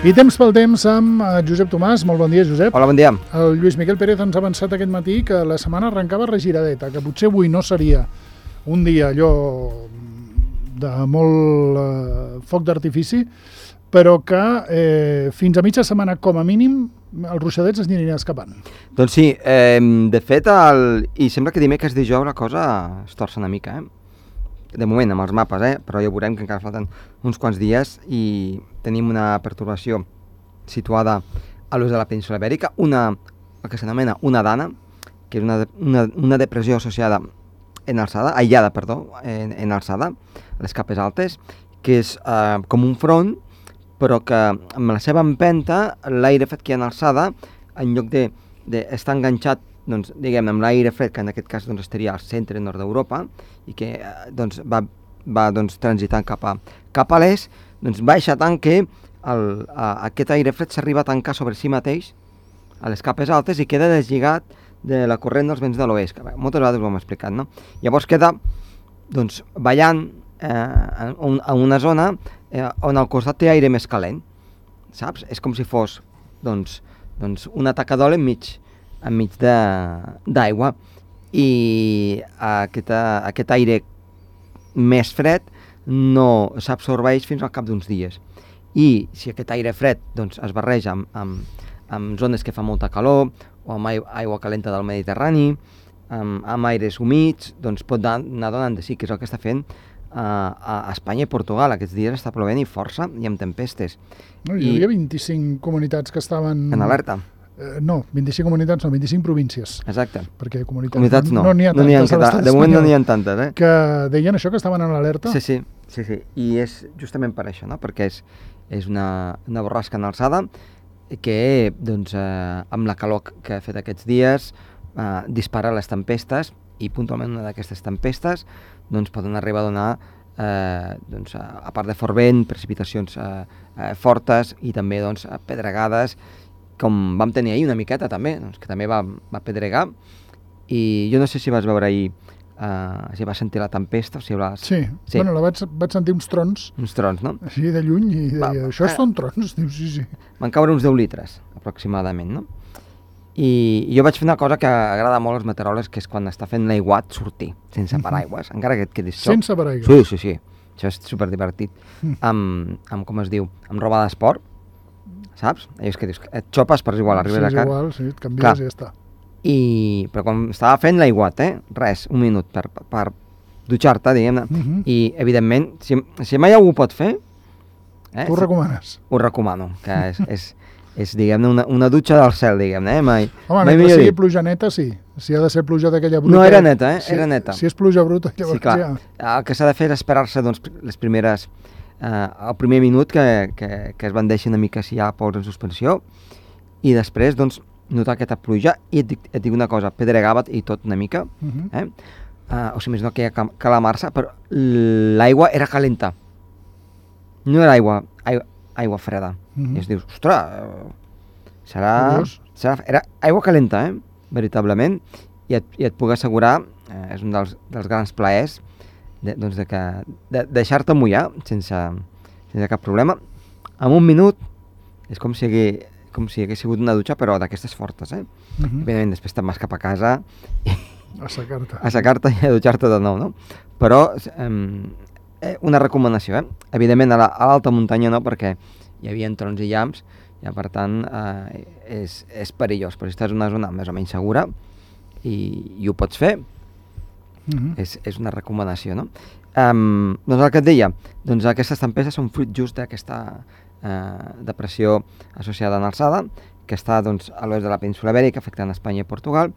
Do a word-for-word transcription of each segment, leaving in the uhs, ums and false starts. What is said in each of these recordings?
I temps pel temps amb Josep Tomàs. Molt bon dia, Josep. Hola, bon dia. El Lluís Miquel Pérez ens ha avançat aquest matí que la setmana arrencava regiradeta, que potser avui no seria un dia allò de molt eh, foc d'artifici, però que eh, fins a mitja setmana, com a mínim, els ruixadets es anirien escapant. Doncs sí, eh, de fet, el... i sembla que dimecres dijous la cosa es torça una mica, eh? De moment, amb els mapes, eh? Però ja veurem que encara falten uns quants dies i tenim una pertorbació situada a l'oest de la península Ibèrica, una, el que s'anomena una dana, que és una, una, una depressió associada en alçada, aïllada, perdó, en, en alçada, a les capes altes, que és eh, com un front, però que amb la seva empenta, l'aire fet que hi ha en alçada, en lloc d'estar de, enganxat, doncs, diguem, amb l'aire fred, que en aquest cas doncs, estaria al centre nord d'Europa, i que doncs, va, va doncs, transitant cap a, cap a l'est, doncs, baixa tant que el, a, aquest aire fred s'arriba a tancar sobre si mateix a les capes altes i queda deslligat de la corrent dels vents de l'oest, que moltes vegades ho hem explicat, no? Llavors queda doncs, ballant eh, en, en una zona eh, on al costat té aire més calent, saps? És com si fos doncs, doncs, una taca d'oli enmig, enmig d'aigua, i aquest, aquest aire més fred no s'absorbeix fins al cap d'uns dies. I si aquest aire fred doncs, es barreja amb, amb, amb zones que fa molta calor, o amb aigua calenta del Mediterrani, amb, amb aires humits, doncs pot anar donant de sí, que és el que està fent uh, a Espanya i Portugal. Aquests dies està plovent i força i amb tempestes. No, hi havia I, vint-i-cinc comunitats que estaven... En alerta. Eh, no, vint-i-cinc comunitats, no, vint-i-cinc províncies. Exacte. Perquè comunitats, comunitats no, no n'hi ha no tantes. No ha, de moment no n'hi ha tantes, eh? Que deien això, que estaven en alerta? Sí, sí, sí, sí. I és justament per això, no? Perquè és, és una, una borrasca en alçada que, doncs, eh, amb la calor que ha fet aquests dies, eh, dispara les tempestes, i puntualment una d'aquestes tempestes doncs, poden arribar a donar, eh, doncs, a, a part de fort vent, precipitacions eh, eh, fortes i també doncs, pedregades, com vam tenir ahir una miqueta també, doncs, que també va, va pedregar, i jo no sé si vas veure ahir, uh, si vas sentir la tempesta, o si vas... Sí, sí. Bueno, la vaig, vaig sentir uns trons. Uns trons, no? Així de lluny, i deia, va, això eh, són trons, diu, sí, sí. Van caure uns deu litres, aproximadament, no? I, i jo vaig fer una cosa que agrada molt als meteoròlegs, que és quan està fent l'aiguat sortir, sense paraigües, uh-huh. encara que et quedis xoc. Sense paraigües? Sí, sí, sí, això és superdivertit. Uh-huh. Amb, amb, com es diu, amb roba d'esport, saps? Allò és que dius, et xopes per igual, arribes sí, a casa. Sí, igual, sí, et canvies Clar. I ja està. I, però quan estava fent l'aiguat, eh? Res, un minut per, per dutxar-te, diguem-ne, uh-huh. i evidentment, si, si mai algú ho pot fer... Eh, tu ho recomanes? Ho recomano, que és, és, és diguem-ne, una, una dutxa del cel, diguem-ne, eh? Mai, Home, mai mentre sigui pluja neta, sí. Si ha de ser pluja d'aquella bruta... No, era neta, eh? Si, era neta. Si és pluja bruta, llavors sí, clar. ja... El que s'ha de fer és esperar-se, doncs, les primeres... Uh, el primer minut que, que, que es bandeixi una mica si hi ha pols en suspensió, i després doncs, notar aquesta pluja, i et dic, et dic una cosa, pedregava i tot una mica, uh-huh. eh? uh, o si més no que hi ha calamarsa, però l'aigua era calenta, no era aigua, aigua, aigua freda, uh-huh. i es dius, ostres, serà, serà, era aigua calenta, eh? Veritablement, i et, i et puc assegurar, eh, és un dels, dels grans plaers, De, doncs de, que, de deixar-te mullar sense, sense cap problema. En un minut és com si, hagués, com si hagués sigut una dutxa, però d'aquestes fortes, eh? Uh-huh. Evidentment, després te'n vas cap a casa i a secar-te a secar-te i a dutxar-te de nou, no? Però eh, una recomanació, eh? Evidentment a l'alta la, muntanya no, perquè hi havia trons i llamps, i per tant eh, és, és perillós, però si estàs en una zona més o menys segura i, i ho pots fer, Uh-huh. és, és una recomanació, no? Um, doncs el que et deia, doncs aquestes tempestes són fruit just d'aquesta uh, depressió associada en alçada, que està doncs, a l'oest de la península Ibèrica, afectant Espanya i Portugal,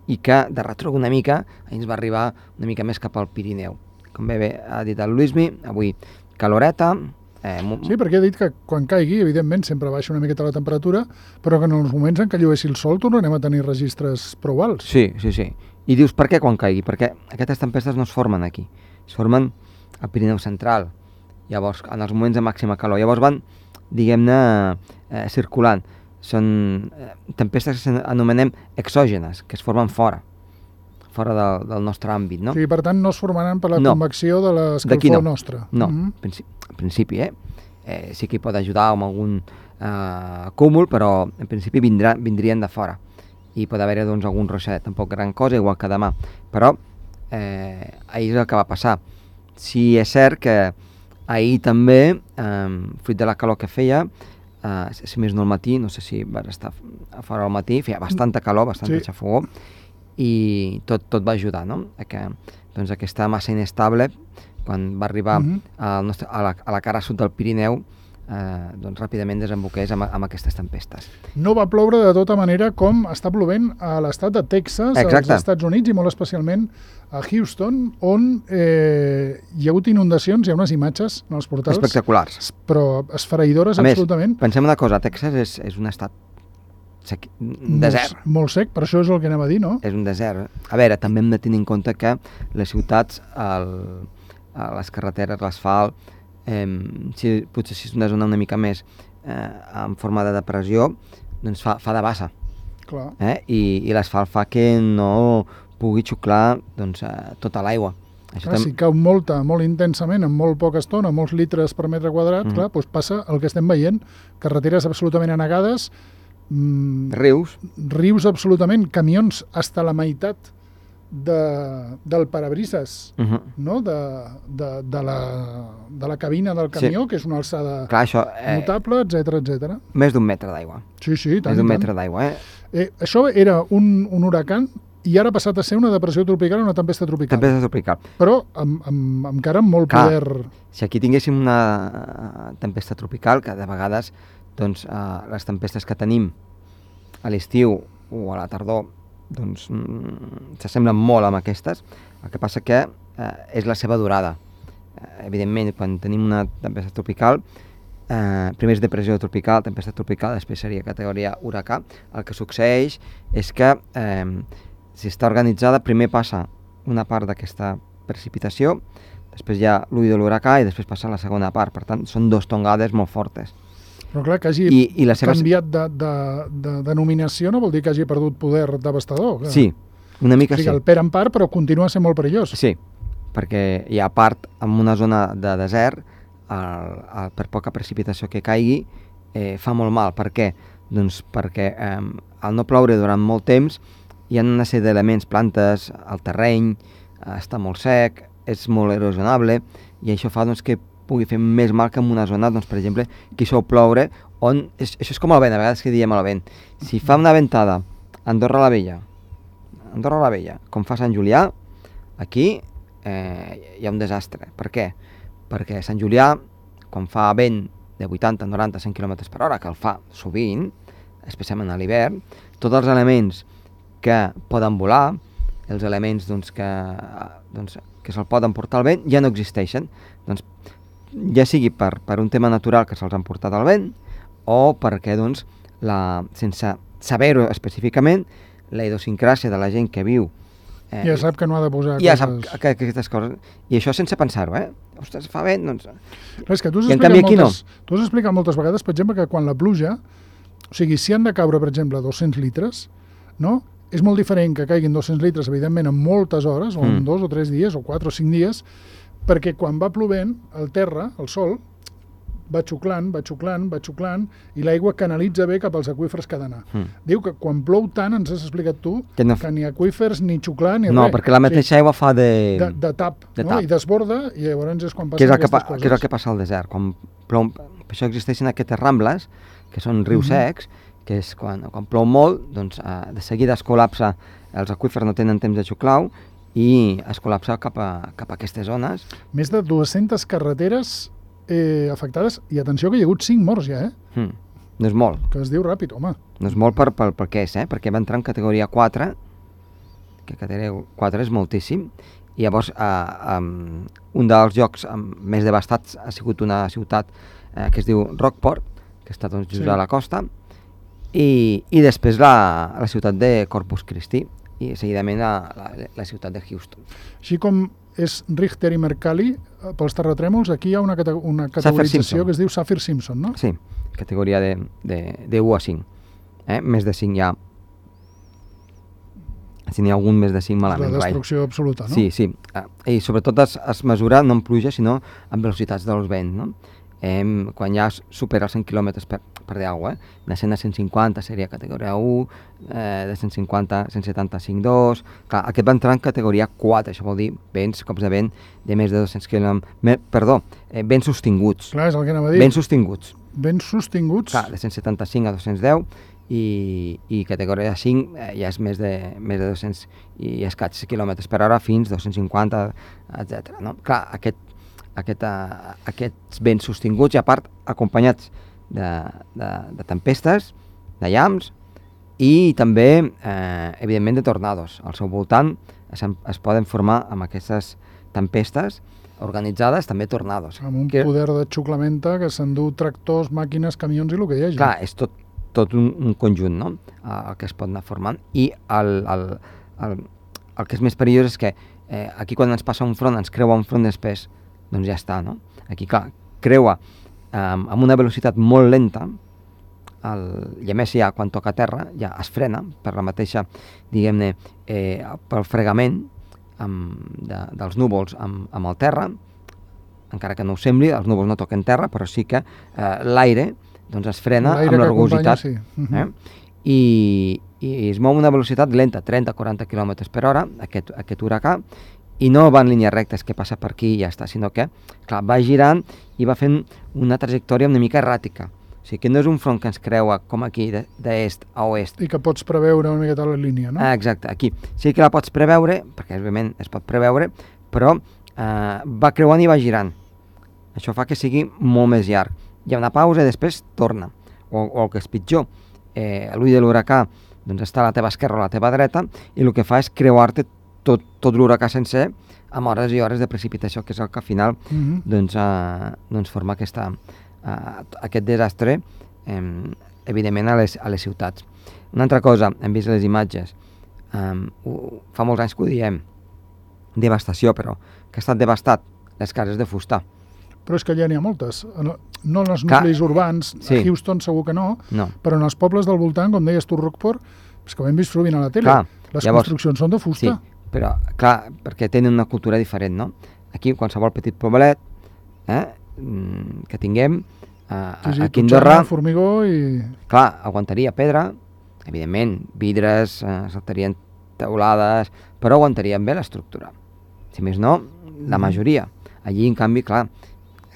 i que de retruc una mica ens va arribar una mica més cap al Pirineu. Com bé, bé ha dit el Luismi, avui caloreta... Eh, sí, perquè he dit que quan caigui, evidentment, sempre baixa una miqueta la temperatura, però que en els moments en què llueixi el sol tornarem a tenir registres prou alts. Sí, sí, sí. I dius, per què quan caigui? Perquè aquestes tempestes no es formen aquí, es formen al Pirineu central, llavors, en els moments de màxima calor. Llavors van, diguem-ne, eh, circulant. Són eh, tempestes que s'anomenem exògenes, que es formen fora, fora del, del nostre àmbit, no? Sí, per tant, no es formaran per la no. convecció de l'escalfor no. nostre. No, uh-huh. principi, en principi, eh? eh, sí que hi pot ajudar amb algun eh, cúmul, però en principi vindrà, vindrien de fora. I pot haver-hi doncs, algun roixet, tampoc gran cosa, igual que demà. Però eh, ahir és el que va passar. Sí, és cert que ahir també, eh, fruit de la calor que feia, eh, si més no al matí, no sé si vas estar a fora al matí, feia bastanta calor, bastanta sí. xafogó, i tot, tot va ajudar, no? A que doncs, aquesta massa inestable, quan va arribar uh-huh. al nostre, a, la, a la cara sud del Pirineu, eh, doncs ràpidament desemboqués amb, amb aquestes tempestes. No va ploure de tota manera com està plovent a l'estat de Texas, Exacte. als Estats Units, i molt especialment a Houston, on eh, hi ha hagut inundacions, hi ha unes imatges en els portals espectaculars, però esfereïdores a absolutament. Més, pensem una cosa, Texas és, és un estat sec, desert. Molt, molt sec, per això és el que anem a dir, no? És un desert. A veure, també hem de tenir en compte que les ciutats, el, les carreteres, l'asfalt, eh, si, potser si és una zona una mica més eh, en forma de depressió, doncs fa, fa de bassa. Clar. Eh? I, i l'asfalt fa que no pugui xuclar doncs, eh, tota l'aigua. Això clar, tam... si cau molta, molt intensament, en molt poca estona, molts litres per metre quadrat, mm-hmm. clar, doncs passa el que estem veient, carreteres absolutament anegades, mm, rius. Rius absolutament, camions hasta la meitat de, del parabrises, uh-huh. no? de, de, de, la, de la cabina del camió, sí. que és una alçada clar, això, eh, notable, etcètera, etcètera. Més d'un metre d'aigua. Sí, sí, tant. Més d'un metre d'aigua, eh? eh? Això era un, un huracan i ara ha passat a ser una depressió tropical o una tempesta tropical. Tempesta tropical. Però amb, amb, amb encara amb molt clar, poder... Si aquí tinguéssim una tempesta tropical, que de vegades doncs, eh, les tempestes que tenim a l'estiu o a la tardor doncs mm, s'assemblen molt amb aquestes, el que passa que eh, és la seva durada. Eh, evidentment, quan tenim una tempesta tropical, eh, primer és depressió tropical, tempesta tropical, després seria categoria huracà. El que succeeix és que eh, si està organitzada, primer passa una part d'aquesta precipitació, després hi ha l'ull de l'huracà i després passa la segona part. Per tant, són dos tongades molt fortes. Però clar, que hagi I, i la seva... canviat de, de, de denominació no vol dir que hagi perdut poder devastador. Clar. Sí, una mica o sigui, sí. El per en part, però continua sent molt perillós. Sí, perquè hi ha part, en una zona de desert, el, el, per poca precipitació que caigui, eh, fa molt mal. Per què? Doncs perquè eh, al no ploure durant molt temps, hi ha una sèrie d'elements, plantes, el terreny, eh, està molt sec, és molt erosionable, i això fa doncs, que pugui fer més mal que en una zona, doncs, per exemple, que hi sol ploure, on és, això és com el vent, a vegades que diem el vent. Si fa una ventada a Andorra la Vella, Andorra la Vella, com fa Sant Julià, aquí eh, hi ha un desastre. Per què? Perquè a Sant Julià, quan fa vent de vuitanta, noranta, cent quilòmetres per hora, que el fa sovint, especialment a l'hivern, tots els elements que poden volar, els elements doncs, que, doncs, que se'l poden portar al vent, ja no existeixen. Doncs ja sigui per, per un tema natural que se'ls han portat al vent o perquè, doncs, la, sense saber-ho específicament, la idiosincràsia de la gent que viu eh, ja sap que no ha de posar ja coses... sap que, que aquestes coses, i això sense pensar-ho, eh? Ostres, fa vent, doncs... Però és que tu has, I en canvi aquí moltes, no. Tu has explicat moltes vegades, per exemple, que quan la pluja, o sigui, si han de caure, per exemple, dos-cents litres, no? És molt diferent que caiguin dos-cents litres, evidentment, en moltes hores, o en mm. dos o tres dies, o quatre o cinc dies, perquè quan va plovent, el terra, el sol, va xuclant, va xuclant, va xuclant, i l'aigua canalitza bé cap als aqüífers que ha d'anar. Mm. Diu que quan plou tant, ens has explicat tu, que, no... que ni aqüífers, ni xuclar, ni no, res. No, perquè la mateixa sí. aigua fa de... De, de tap, de no? tap. I desborda, i llavors és quan passen que és aquestes pa, coses. Que és el que passa al desert. Quan plou, per això existeixen aquestes rambles, que són rius mm-hmm. secs, que és quan, quan plou molt, doncs eh, de seguida es col·lapsa, els aqüífers no tenen temps de xuclar, i es col·lapsa cap a, cap a aquestes zones. Més de dues-centes carreteres eh, afectades, i atenció que hi ha hagut cinc morts ja, eh? Mm, no és molt. Que es diu ràpid, home. No és molt per, per, per què és, eh? Perquè va entrar en categoria quatre, que categoria quatre és moltíssim, i llavors eh, um, un dels llocs um, més devastats ha sigut una ciutat eh, que es diu Rockport, que està doncs, just sí. a la costa, i, i després la, la ciutat de Corpus Christi, i seguidament la, la, la ciutat de Houston. Així com és Richter i Mercalli pels terratrèmols, aquí hi ha una, cate una categorització que es diu Saffir-Simpson, no? Sí, categoria de, de, de u a cinc. Eh? Més de cinc ja... Si n'hi ha algun més de cinc malament. La destrucció guai. Absoluta, no? Sí, sí. I sobretot es, es mesura no amb pluja, sinó amb velocitats dels vents, no? eh, quan ja supera els cent quilòmetres per, per dir alguna cosa, eh? De cent a cent cinquanta seria categoria u, eh, de cent cinquanta a cent setanta-cinc dos, clar, aquest va entrar en categoria quatre, això vol dir vents, cops de vent de més de dos-cents quilòmetres, me, perdó, eh, vents sostinguts. Clar, és el que anava a dir. Vents sostinguts. Vents sostinguts. Clar, de cent setanta-cinc a dos-cents deu, i, i categoria cinc eh, ja és més de, més de dos-cents i escaig quilòmetres per hora fins a dos-cents cinquanta, etcètera. No? Clar, aquest, aquest, uh, aquests vents sostinguts i a part acompanyats de, de, de tempestes, de llamps i també, eh, evidentment, de tornados. Al seu voltant es, es poden formar amb aquestes tempestes organitzades també tornados. Amb un que, poder de xuclamenta que s'endú tractors, màquines, camions i el que hi hagi. Clar, és tot, tot un, un conjunt, no?, el que es pot anar formant. I el, el, el, el que és més perillós és que eh, aquí quan ens passa un front, ens creua un front després, doncs ja està, no? Aquí, clar, creua eh, amb una velocitat molt lenta, el, i a més ja quan toca terra ja es frena per la mateixa, diguem-ne, eh, pel fregament amb, de, dels núvols amb, amb el terra, encara que no ho sembli, els núvols no toquen terra, però sí que eh, l'aire doncs es frena amb la rugositat, sí. uh -huh. eh? I, i es mou a una velocitat lenta, trenta a quaranta quilòmetres per hora, aquest, aquest huracà, i no va en línies rectes que passa per aquí i ja està, sinó que, clar, va girant i va fent una trajectòria una mica erràtica. O sigui que no és un front que ens creua com aquí, d'est a oest. I que pots preveure una miqueta la línia, no? Ah, exacte, aquí. Sí que la pots preveure, perquè òbviament es pot preveure, però eh, va creuant i va girant. Això fa que sigui molt més llarg. Hi ha una pausa i després torna. O, o el que és pitjor, eh, l'ull de l'huracà doncs està a la teva esquerra o a la teva dreta i el que fa és creuar-te tot, tot l'huracà sencer amb hores i hores de precipitació, que és el que al final uh -huh. doncs, eh, doncs forma aquesta, eh, aquest desastre, eh, evidentment, a les, a les ciutats. Una altra cosa, hem vist les imatges, eh, ho, fa molts anys que ho diem, devastació, però que ha estat devastat les cases de fusta. Però és que ja n'hi ha moltes. No en els nuclis Clar, urbans, sí. A Houston segur que no, no, però en els pobles del voltant, com deies tu, Rockport, és que ho hem vist sovint a la tele. Clar, les llavors, construccions són de fusta. Sí, però, clar, perquè tenen una cultura diferent, no? Aquí, qualsevol petit poblet eh, que tinguem, a, sí, sí, aquí a Andorra, formigó i... clar, aguantaria pedra, evidentment, vidres, eh, saltarien teulades, però aguantarien bé l'estructura. Si més no, la majoria. Allí, en canvi, clar,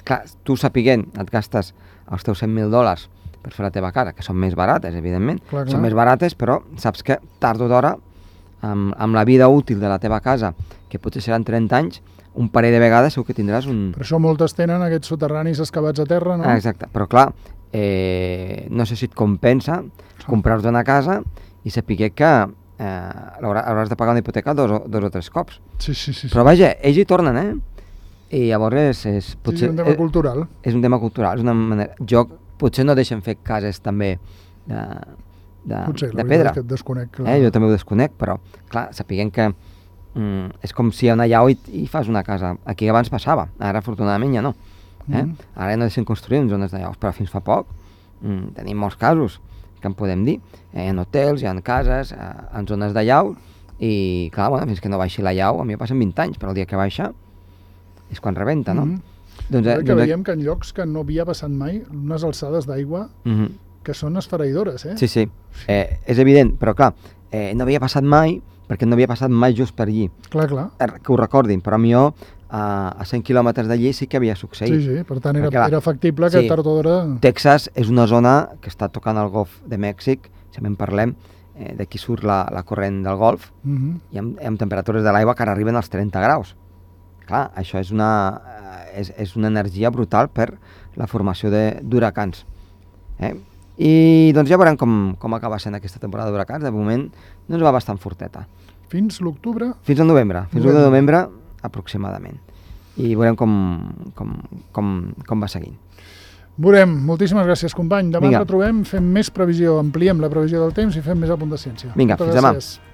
clar, tu sapiguent, et gastes els teus cent mil dòlars per fer la teva casa, que són més barates, evidentment, clar, clar. són més barates, però saps que tard o d'hora, amb, amb la vida útil de la teva casa, que potser seran trenta anys, un parell de vegades segur que tindràs un... Per això moltes tenen aquests soterranis excavats a terra, no? Ah, exacte, però clar, eh, no sé si et compensa comprar-te una casa i saber que eh, hauràs de pagar una hipoteca dos o, dos o tres cops. Sí, sí, sí. Però vaja, ells hi tornen, eh? I llavors és... és potser, sí, és un tema cultural. És, és un tema cultural, és una manera... Jo potser no deixen fer cases també de, de, potser, de pedra. Que et desconec, clar. Eh? Jo també ho desconec, però clar, sapiguem que mm, és com si hi ha una llau i, i fas una casa. Aquí abans passava, ara afortunadament ja no. Eh? Mm. Ara ja no deixen construir en zones de llaus, però fins fa poc mm, tenim molts casos que en podem dir. Eh, hi ha hotels, hi ha cases, eh, en zones de llau, i clar, bueno, fins que no baixi la llau, a mi passen vint anys, però el dia que baixa és quan rebenta, no? Mm-hmm. Doncs, que doncs, veiem que en llocs que no havia passat mai, unes alçades d'aigua mm-hmm. que són esfereïdores, eh? Sí, sí, eh, és evident, però clar, eh, no havia passat mai, perquè no havia passat mai just per allí. Clar, clar. Que ho recordin, però a mi jo, a, a cent quilòmetres d'allí sí que havia succeït. Sí, sí, per tant era, perquè, era factible que sí, tard o d'hora... Texas és una zona que està tocant el golf de Mèxic, si en parlem, eh, d'aquí surt la, la corrent del golf, mm-hmm. i amb, amb temperatures de l'aigua que ara arriben als trenta graus. Clar, això és una, és, és una energia brutal per la formació d'huracans. Eh? I doncs ja veurem com, com acaba sent aquesta temporada d'huracans. De moment doncs va bastant forteta. Fins l'octubre? Fins al novembre, fins al de novembre aproximadament. I veurem com, com, com, com va seguint. Veurem. Moltíssimes gràcies, company. Demà Vinga. ens retrobem, fem més previsió, ampliem la previsió del temps i fem més a punt de ciència. Vinga, Moltes fins gràcies. Demà.